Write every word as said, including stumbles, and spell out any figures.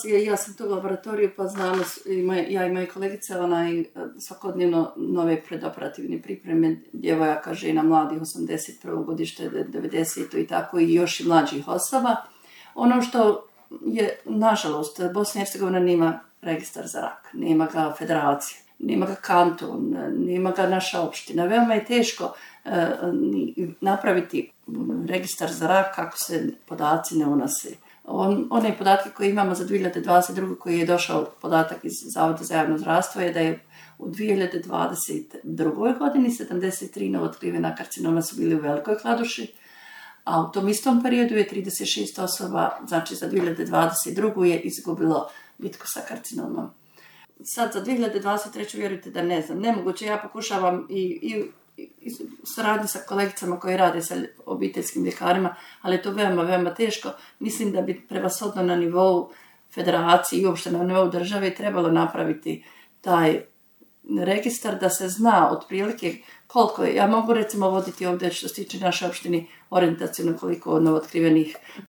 ja sam tu u laboratoriju pa znamo, ja i moje kolegice, onaj, svakodnevno nove predoperativne pripreme djevojaka, žena, mladih, osamdeset prvo godište, devedeset i tako i još i mlađih osoba. Ono što je, nažalost, Bosna i Hercegovina nema registar za rak, nema ga federacija, nema ga kanton, nema ga naša opština. Veoma je teško e, napraviti registar za rak kako se podaci ne unose. On, one podatke koje imamo za dvije hiljade dvadeset druge koji je došao podatak iz Zavoda za javno zdravstvo je da je u dvije hiljade dvadeset drugoj godini sedamdeset tri novootkrivena karcinoma su bili u Velikoj Kladuši, a u tom istom periodu je trideset šest osoba, znači za dvije hiljade dvadeset drugu je izgubilo bitku sa karcinomom. Sad za dvije hiljade dvadeset treću vjerujte da ne znam, nemoguće, ja pokušavam i, i, i saradnji sa kolegicama koji rade sa obiteljskim ljekarima, ali je to veoma, veoma teško. Mislim da bi prevashodno na nivou federacije i uopšte na nivou države trebalo napraviti taj registar da se zna otprilike koliko je. Ja mogu recimo voditi ovdje što se tiče naše opštine orijentacijno koliko novootkrivenih